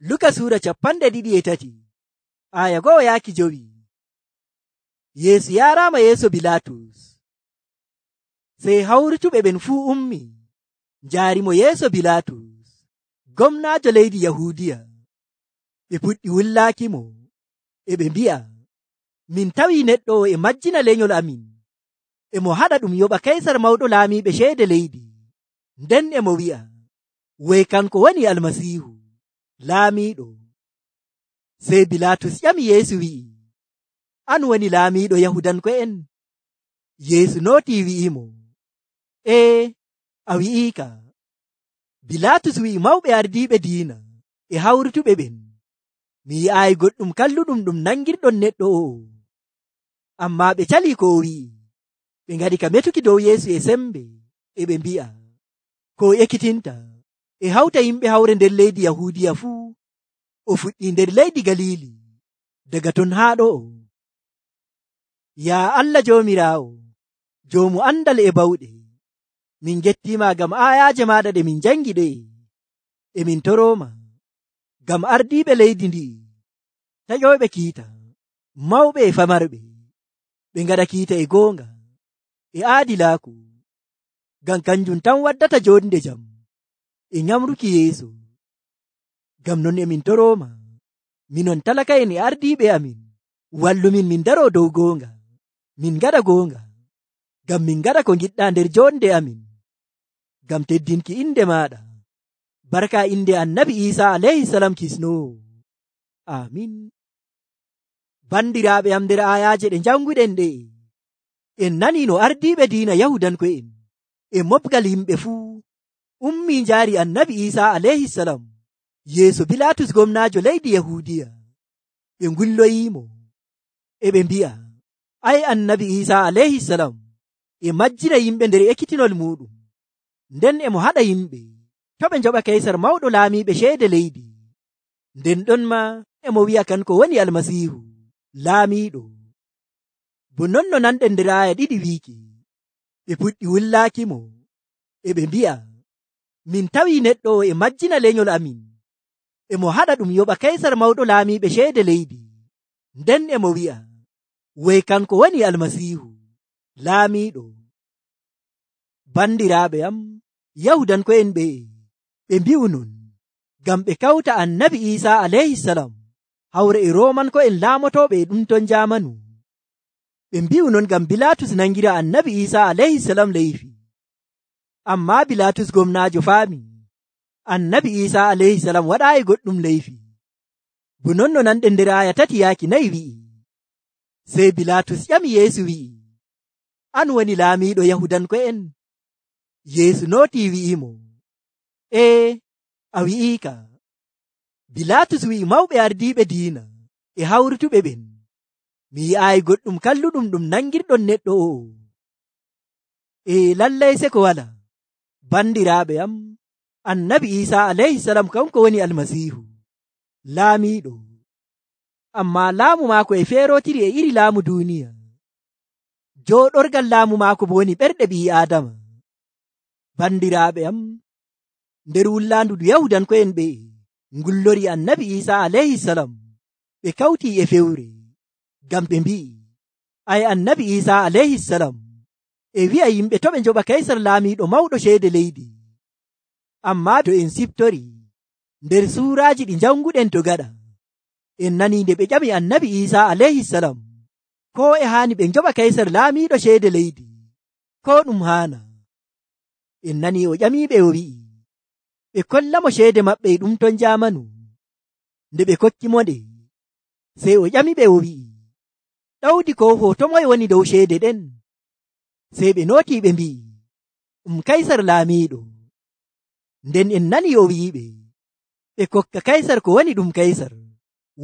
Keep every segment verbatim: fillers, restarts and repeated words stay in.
Luka Suura capanɗe ɗiɗi e tati aya go'o yaaki jowi. Yeesu yaaraama yeeso Bilaatus. Sey hawrutuɓe ɓen fuu ummi njaarimo yeeso Bilaatus, gomnaajo leydi Yahuudiya. Ɓe puɗɗi wullaakimo, e ɓe mbi'a, min tawii neɗɗo o e majjina lenyol amin, e mo haɗa ɗum yoɓa Kaysar mawɗo laamiiɓe ceede leydi. Nden e mo wi'a, way kanko woni Almasiihu, laamiiɗo. Sey Bilaatus ƴami Yeesu wi'i, an woni laamiiɗo Yahudanko'en? Yeesu nootii wi'imo, ee, a wi'iika. Bilaatus wi'i mawɓe ardiiɓe diina e hawrutuɓe ɓen, mi yi'aayi goɗɗum kalluɗum ɗum nangirɗon neɗɗo o'o. Ammaa ɓe calii ko o wi'i, ɓe ngaɗi ka metuki dow Yeesu e sembe, e ɓe mbi'a, ko o ekkitinta e hawta yimɓe hawre nder leydi Yahuudiya fuu. O fuɗɗii nder leydi Galiili, daga ton haa ɗo'o. Yaa Allah Joomiraawo, joomu andal e bawɗe, min gettiima ngam aayaaje maaɗa ɗe min jangi ɗe, e min torooma ngam ardiiɓe leydi ndi'i, taƴooɓe kiita, mawɓe e famarɓe, ɓe ngaɗa kiita e goonga e aadilaaku, ngam kanjum tan waddata joonde jam e nyamruki yeeso. Ngam non e min torooma, minon talaka'en e ardiiɓe amin, wallumin min daroo dow goonga, min ngaɗa goonga, ngam min ngaɗa ko ngiɗɗaa nder joonde amin, ngam teddinki inde maaɗa, barka inde Annabi Iisaa alayhi salam kisnoowo. Amin. Bandiraaɓe am, nder aayaaje ɗe janguɗen ɗe, en nanii no ardiiɓe diina Yahudanko'en e mobgal yimɓe fuu ummii njaari Annabi Iisaa alayhi salam yeeso Bilaatus gomnaajo leydi Yahuudiya. Ɓe ngulloyiimo, e ɓe mbi'a, ay Annabi Iisaa alayhi salam e majjina yimɓe nder ekkitinol muuɗum, nden e mo haɗa yimɓe to ɓe njoɓa Kaysar mawɗo laamiiɓe ceede leydi. Nden ɗon ma e mo wi'a kanko woni Almasiihu, laamiiɗo. Bo non no nanɗen nder aaya ɗiɗi wiiki, ɓe puɗɗi wullaakimo, e ɓe mbi'a, min tawii neɗɗo o e majjina lenyol amin, e mo haɗa ɗum yoɓa Kaysar mawɗo laamiiɓe ceede leydi. Nden e mo wi'a, way kanko woni Almasiihu, laamiiɗo. Bandiraaɓe am, Yahudanko'en ɓe ɓe mbi'u non ngam ɓe kawta Annabi Iisaa alayhi salam hawre e Roomanko'en laamotooɓe e ɗum ton jaamanu. Ɓe mbi'u non ngam Bilaatus nangira Annabi Iisaa alayhi salam leyfi. Ammaa Bilaatus gomnaajo faami Annabi Iisaa alayhi salam waɗaayi goɗɗum leyfi. Bo non no nanɗen nder aaya tati yaaki nayi wi'i. Sey Bilaatus ƴami Yeesu wi'i, an woni laamiiɗo Yahudanko'en? Yeesu nootii wi'imo, ee, a wi'iika. Bilaatus wi'i mawɓe ardiiɓe diina e hawrutuɓe ɓen, mi yi'aayi goɗɗum kalluɗum ɗum nangirɗon neɗɗo o'o. Ee, lallay seko walaa. Bandiraaɓe am, Annabi Iisaa alayhi salam kanko woni Almasiihu, laamiiɗo. Ammaa laamu maako e feerootiri e iri laamu duuniya. Jooɗorgal laamu maako bo woni ɓerɗe ɓii Aadama. Bandiraaɓe am, nder wullaandu ndu Yahudanko'en ɓe ngullori Annabi Iisaa alayhi salam, ɓe kawtii e fewre, ngam ɓe mbi'i, ay Annabi Iisaa alayhi salam e wi'a yimɓe to ɓe njoɓa Kaysar laamiiɗo mawɗo ceede leydi. Ammaa to en siftori nder suuraaji ɗi janguɗen to gaɗa, en nanii nde ɓe ƴami Annabi Iisaa alayhi salam ko e haani ɓe njoɓa Kaysar laamiiɗo ceede leydi, ko ɗum haana. En nanii o ƴamiiɓe o wi'i, ɓe kollamo ceede maɓɓe e ɗum ton jaamanu. Nde ɓe kokkimo nde, sey o ƴamiɓe o wi'i, ɗawdi ko hoto moye woni dow ceede ɗen? Sey ɓe nootii ɓe mbi'i, ɗum Kaysar laamiiɗo. Nden en nanii o wi'iɓe, ɓe kokka Kaysar ko woni ɗum Kaysar,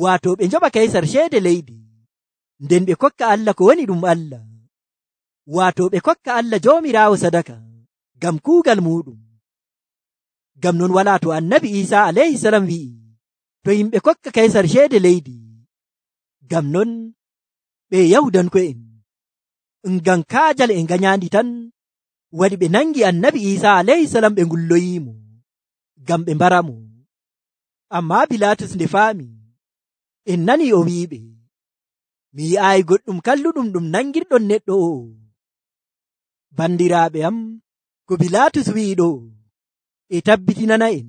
waato ɓe njoɓa Kaysar ceede leydi, nden ɓe kokka Allah ko woni ɗum Allah, waato ɓe kokka Allah Joomiraawo sadaka ngam kuugal muuɗum. Ngam non walaa to Annabi Iisaa alayhi salam wi'i, to yimɓe kokka Kaysar ceede leydi. Ngam non ɓe Yahudanko'en, ngam kaajal e ngañaandi tan waɗi ɓe nangi Annabi Iisaa alayhi salam ɓe ngulloyiimo ngam ɓe mbaramo. Ammaa Bilaatus nde faami, en nani o wi'iɓe, mi yi'aayi goɗɗum kalluɗum ɗum nangirɗon neɗɗo o'o. Bandiraaɓe am, ko Bilaatus wi'i ɗo e tabbitinana en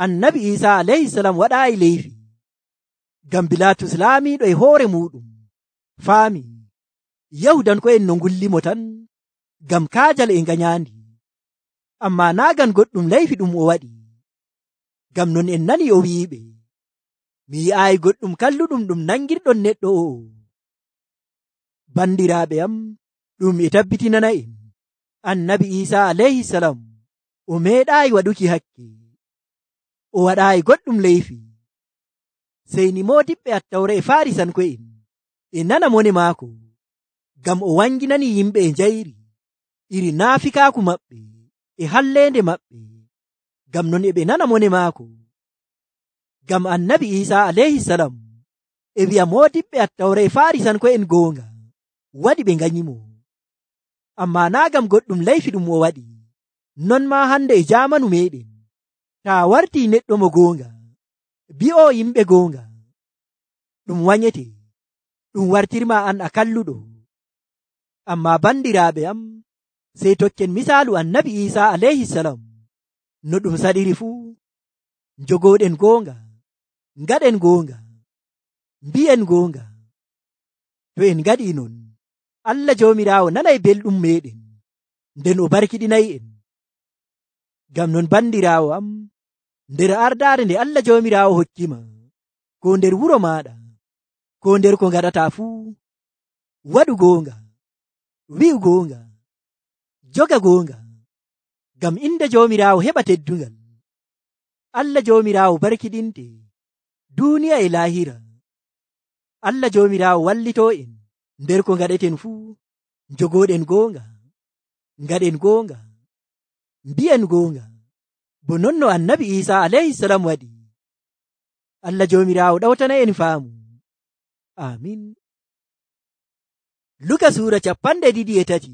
annabi Iisaa alayhisalam waɗaayi leyfi. Ngam Bilaatus laamiiɗo e hoore muɗum faami Yahudanko'en no ngullimo tan ngam kaajal e nganyandi, ammaa naa ngam goɗɗum leyfi ɗum o waɗi. Ngam non en nani o wi'iɓe, mi yi'aayi goɗɗum kalluɗum ɗum nangirɗon neɗɗo o'o. Bandiraaɓe am, ɗum e tabbitinana en annabi Iisaa alayhisalam o meeɗaayi waɗuki hakke, o waɗaayi goɗɗum leyfi. Sey ni moodiɓɓe Attawra e Faarisanko'en e nana mone maako, ngam o wanginani yimɓe e njayri iri naafikaaku maɓɓe e halleende maɓɓe. Ngam non e ɓe nana mone maako. Ngam annabi Iisaa alayhisalam e wi'a moodiɓɓe Attawra e Faarisanko'en goonga waɗi ɓe nganyimo, ammaa naa ngam goɗɗum leyfi ɗum o waɗi. Non maa hande e jaamanu meɗen, taa wartii neɗɗo mo goonga, bi'o yimɓe goonga, ɗum wanyete, ɗum wartirma an a kalluɗo. Ammaa bandiraaɓe am, sey tokken misaalu annabi Iisaa alayhisalam no ɗum saɗiri fuu. Njogooɗen goonga, ngaɗen goonga, mbi'en goonga. To en ngaɗii non, Allah Joomiraawo nanay belɗum meɗen, nden o barkiɗinayi en. Ngam non bandiraawo am, nder ardaare nde Allah Joomiraawo hokkima, ko nder wuro maaɗa, ko nder ko ngaɗata fuu, waɗu goonga, wi'u goonga, joga goonga, ngam inde Joomiraawo heɓa teddungal. Allah Joomiraawo barkiɗinte duuniya e laahira. Allah Joomiraawo wallitoo en nder ko ngaɗeten fuu. Njogooɗen goonga, ngaɗen goonga, mbi'en goonga, bo non no annabi Iisaa alayhisalam waɗi. Allah Joomiraawo ɗawtana en faamu. Amin. Luka suura capanɗe ɗiɗi e tati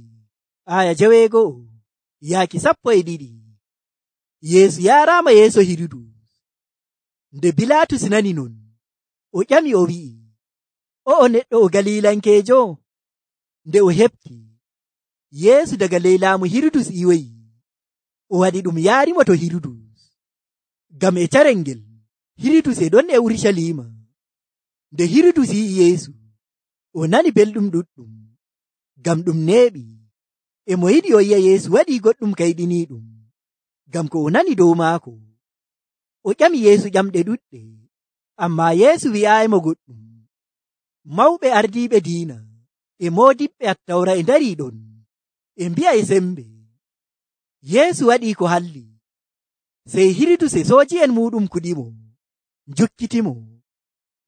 aya jaweego'o yaaki sappo e ɗiɗi. Yeesu yaaraama yeeso Hirudus. Nde Bilaatus nani non, o ƴami o wi'i, o'o neɗɗo o Galilankeejo? Nde o heɓti, Yeesu daga ley laamu Hirudus iwoyi, o waɗi ɗum yaarimo to Hirudus. Ngam e carel ngel Hirudus e ɗon e Urusalima. Nde Hirudus yi'i Yeesu, o nani belɗum ɗuɗɗum, ngam ɗum neeɓi, e mo yiɗi o yi'a Yeesu waɗi goɗɗum kayɗiniiɗum, ngam ko o nani dow maako. O ƴami Yeesu ƴamɗe ɗuɗɗe, ammaa Yeesu wi'aayimo goɗɗum. Mawɓe ardiiɓe diina e moodiɓɓe Attawra e ndarii ɗon, e mbi'a e sembe, Yeesu waɗii ko halli. Sey Hirudus e sooji'en muɗum kuɗimo, njukkitimo.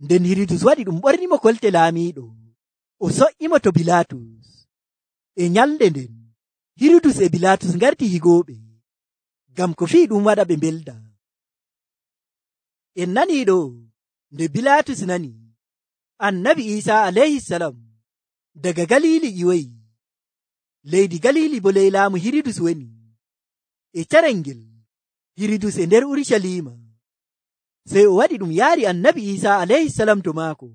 Nden Hirudus waɗi ɗum ɓornimo kolte laamiiɗo, o so'imo to Bilaatus. E nyalɗe nden Hirudus e Bilaatus ngarti higooɓe, ngam ko fii ɗum waɗa ɓe mbelda. En nanii ɗo, nde Bilaatus nani annabi Iisaa alayhisalam daga Galili ƴiwoyi, leydi Galili bo ley laamu Hirudus woni. E carel ngel Hirudus e nder Urusalima, sey o waɗi ɗum yaari annabi Iisaa alayhisalam to maako,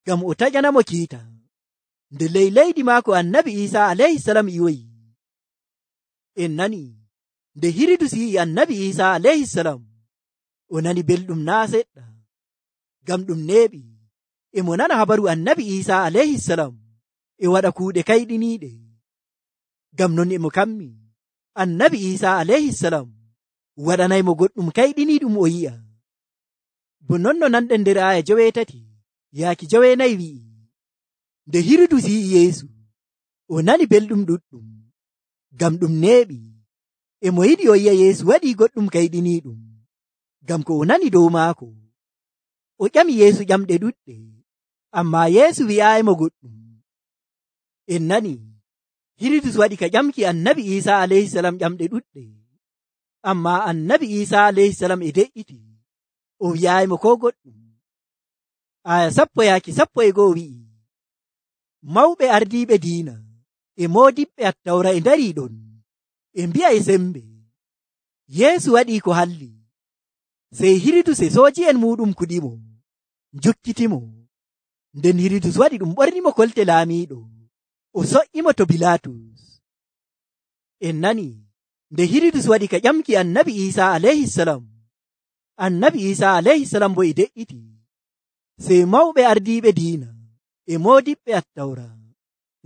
ngam o taƴanamo kiita. Nde ley leydi maako annabi Iisaa alayhisalam ƴiwoyi. En nani nde Hirudus yi'i annabi Iisaa alayhisalam, o nani belɗum naa seɗɗa, ngam ɗum neeɓi e mo nana habaru annabi Iisaa alayhisalam e waɗa kuuɗe kayɗiniiɗe. Ngam non e mo kammi annabi Iisaa alayhisalam waɗanaymo goɗɗum kayɗiniiɗum o yi'a. Bo non no nanɗen nder aya joweetati yaaki joweenayi wi'i, nde Hirudus yi'i Yeesu, o nani belɗum ɗuɗɗum, ngam ɗum neeɓi e mo yiɗi o yi'a Yeesu waɗii goɗɗum kayɗiniiɗum, ngam ko o nani dow maako. O ƴami Yeesu ƴamɗe ɗuɗɗe, ammaa Yeesu wi'aayimo goɗɗum. En nani Hirudus waɗi ka ƴamki annabi Iisaa alayhisalam ƴamɗe ɗuɗɗe, ammaa annabi Iisaa alayhisalam e de'iti, o wi'aayimo ko goɗɗum. Aya sappo yaaki sappo e go'o wi'i, mawɓe ardiiɓe diina e moodiɓɓe Attawra e ndarii ɗon, e mbi'a e sembe, Yeesu waɗii ko halli. sey Hiridus e sooji'en muɗum kuɗimo, njukkitimo. Nden Hiridus waɗi ɗum ɓornimo kolte laamiiɗo, o so'imo to Bilaatus. En nani nde Hiridus waɗi ka ƴamki annabi Iisa alayhisalam, annabi Iisa alayhisalam bo e de'iti, sey mawɓe ardiiɓe diina e moodiɓɓe attawra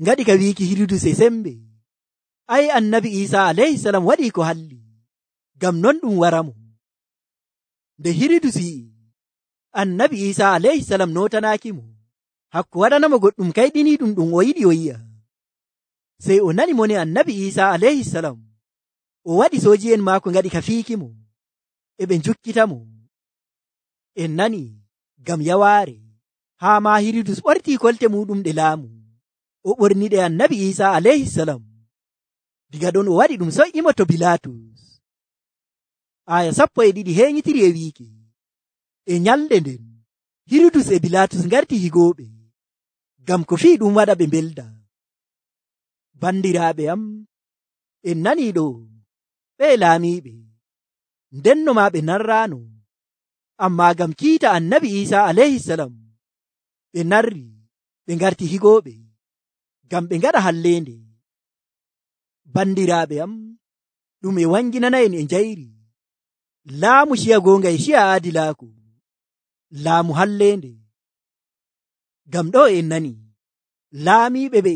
ngaɗi ka wiiki Hiridus e sembe, ay annabi Iisa alayhisalam waɗi ko halli, ngam non ɗum waramo. Nde Hiridus yi'i annabi Iisa alayhisalam nootanaakimo hakko waɗanamo goɗɗum kayɗiniiɗum ɗum o yiɗi o yi'a, sey o nani mone annabi Iisa alayhisalam o waɗi sooji'en maako ngaɗi ka fiikimo, e ɓe njukkitamo. En nani ngam yawaare haa ma Hiridus ɓortii kolte muɗum ɗe laamu, o ɓorniɗe annabi Iisa alayhisalam. Diga ɗon o waɗi ɗum so'imo to Bilaatus. Aya sappo e ɗiɗi heeñitiri e wiiki, e nyalɗe nden Hiridus e Bilaatus ngarti higooɓe, ngam ko fii ɗum waɗa ɓe mbelda. Bandiraaɓe am, en nanii ɗo ɓe laamiiɓe, ndenno maa ɓe narraano, ammaa ngam kiita annabi Iisa alayhisalam ɓe narri ɓe ngarti higooɓe, ngam ɓe ngaɗa halleende. Bandiraaɓe am, ɗum e wanginana en e njayri laamu ciya goonga e ciya aadilaaku, laamu halleende. Ngam ɗo en nani laamiiɓe ɓe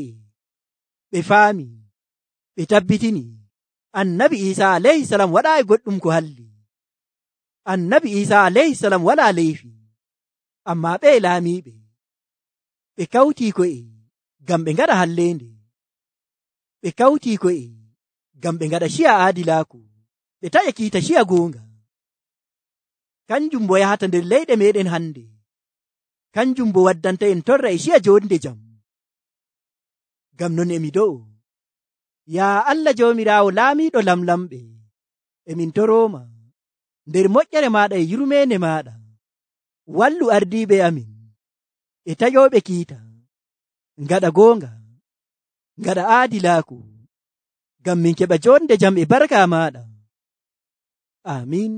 ɓe faami, ɓe tabbitini annabi Iisa alayhisalam waɗaayi goɗɗum ko halli. Annabi Iisa alayhisalam walaa leyfi, ammaa ɓe laamiiɓe ɓe kawtii ko'e ngam ɓe ngaɗa halleende, ɓe kawtii ko'e ngam ɓe ngaɗa ciya aadilaaku, ɓe taƴa kiita ciya goonga. Kanjum bo yahata nder leyɗe meɗen hande, kanjum bo waddanta en torra e ciya jonde jam. Ngam non emi do'o, yaa Allah joomiraawo laamiiɗo lamlamɓe, emin toroma nder moƴƴere maɗa e yurmeende maɗa, wallu ardiiɓe amin e taƴooɓe kiita, ngaɗa goonga, ngaɗa aadilaaku, ngam min keɓa jonde jam e barka maɗa. Amin.